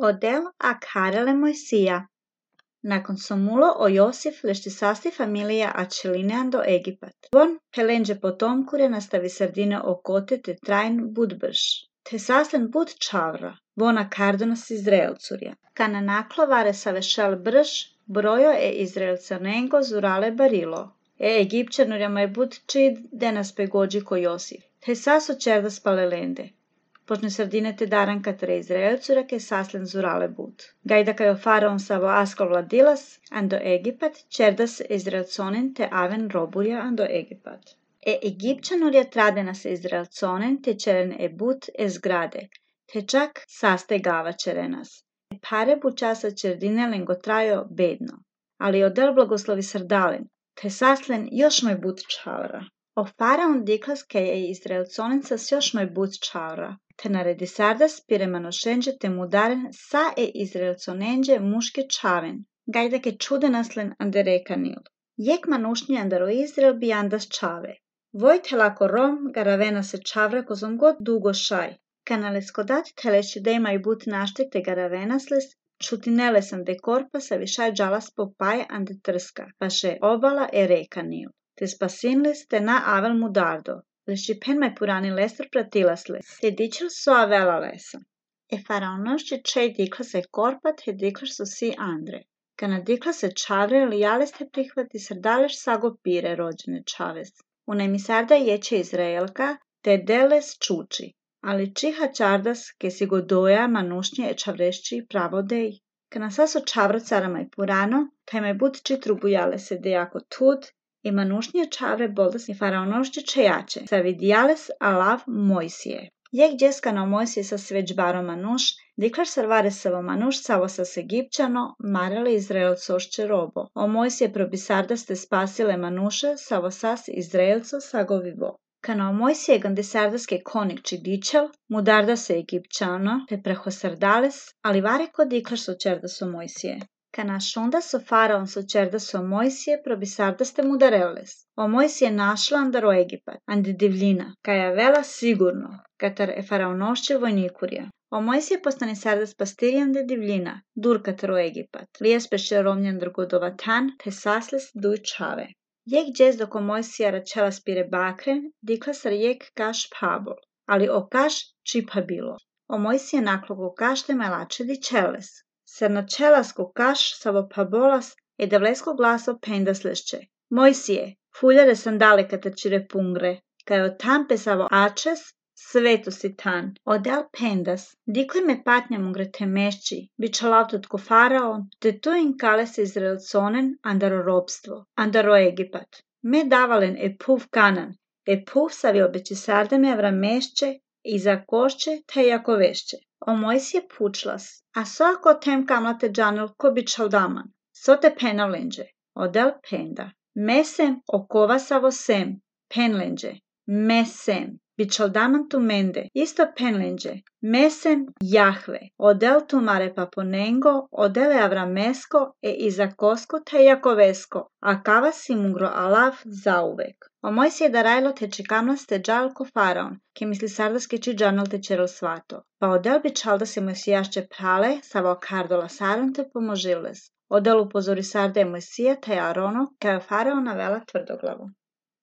Odel a Karele Mojsija. Nakon somulo o Josif lešte sasti familija a čelinean do Egipat. Von pelenđe potomkure nastavi sardine okote te trajn budbrš. Te saslen bud čavra, vona kardonas Izraelcurja. Kana naklovare savešal brš, brojo Izraelcanengo zurale barilo. Egipćanurja maj bud čid denas pegođi ko Josif. Te saso čerdas palelende. Počne sardine te daran katre Izraelcura ke saslen zurale bud. Gajda kajo faraon savo askol vladilas ando Egipat, čerdas Izraelconen te aven roburja ando Egipat. Egipćanurja tradena se Izraelconen te čeren but zgrade, te čak saste gava čerenas. Pare bučasa čerdine lengo trajo bedno, ali odel blagoslovi sardalen, te saslen još moj bud čavra. O faraon diklas ke Izraelconen sas još moj bud čavra, te naredi sardas pire manošenđe te mudaren sa Izraelconenđe muške čaven, gajda ke čudenaslen ande rekanil. Jek manušnji andaro Izrael bi andas čave. Vojte lako rom garavena se čavra kozom god dugo šaj. Kanales kodat teleši dejma i but naštek te garavenasles, čutineles ande korpa sa višaj džalas popaj ande trska, paše obala rekanil. Te spasinles te na avel mudardo. Leši pen mai purani lestor pratilasles, te dičil so avela lesa. Faraonošće čej dikla se korpat, he dikla su si andre. Kana dikla se čavre, lijales te prihvati sardaleš sago pire rođene čaves. Unajmi sarda jeće Izraelka, te deles čuči. Ali čiha čardas, ke si godoja manušnje čavrešći pravodej. Kana saso čavra cara mai purano, taj mai bud čitru bujale se dejako tud, i manušnje čavre boldas i faraonošće čejače, sa vidjales alav Mojsije. Jek džeskano Mojsije sa sveđbaro manuš, diklaš sarvare savo manuš savo sas Egipćano, marale Izraelcošće robo. O Mojsije probisardas te spasile manuše, savo sas Izraelco sagovivo. Kana o Mojsije gandisardaske konikči dičel, mudarda se Egipćano, te prehosardales, ali vare ko diklaš so čerdas o Mojsije. Kana šundas o faraon so čerdas o Mojsije probisardas te mudareles. O Mojsije našla andaro Egipat, ande divljina, kaja vela sigurno, katar faraonošće vojnikurja. O Mojsije postane sardas pastirjande divljina, dur katar o Egipat, lijes peše romnjan drugodovatan, te sasles duj čave. Jek džez dok o Mojsija račela spire bakren, dikla sar jek kaš pabol, ali o kaš čipa bilo. O Mojsije naklogo kaš te majlače dičeles. Ser na čelasko kaš savo pabolas devlesko glaso pendaslešće. Mojsije, fuljare sandale katačire pungre, kajo tampe savo ačes, sveto si tan. Odel pendas, dikle me patnja mungre temešći, bića lavtotko faraon, te tu in kale se Izraelconen andaro robstvo, andaro Egipat. Me davalen puv kanan, puv savi obeći sardeme avramešće, i za košće te jako vešće. O Mojsije pučlas, a so ako tem kamlate džanel ko bi čaldaman, so te penavlenđe, odel penda. Mesem okova savo sem, penlenđe, mesem, bi čaldaman tu mende, isto penlenđe, mesem Jahve, odel tu mare paponengo, odele avramesko, iza kosko te jakovesko, a kava si mungro alav zauvek. O Mojsije darajlo te čikamlas te džal ko faraon, ke misli sardaske či džanel te čerel svato. Pa odel bi čalda se Mojsijašće prale, savo kardola saron te pomožiles. Odel upozori sarde Mojsija te Arono, kao faraona vela tvrdoglavu.